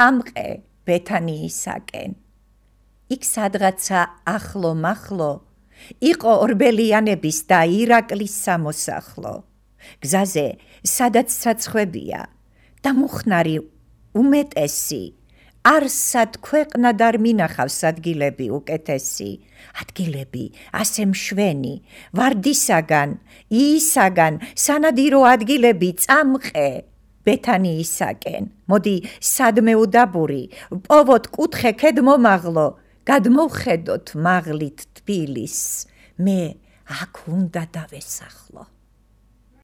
წამყე ბეთანიისაკენ. იქ სადღაცა ახლო-მახლო იყო ორბელიანების და ირაკლის სამოსახლო. გზაზე სადაც საცხვებია და მუხნარი უმეტესი, არსად ქვეყნად არ მინახავს ადგილები უკეთესი, ადგილები ასე მშვენი, ვარდისაგან, იისაგან, სანადირო ადგილები წამყე ბეთანიისაკენ. მოდი სადმე უდაბური, პოვოთ კუთხე ქედმომაღლო, გადმოვხედოთ მაღლით თბილისს, მე აქ უნდა დავესახლო.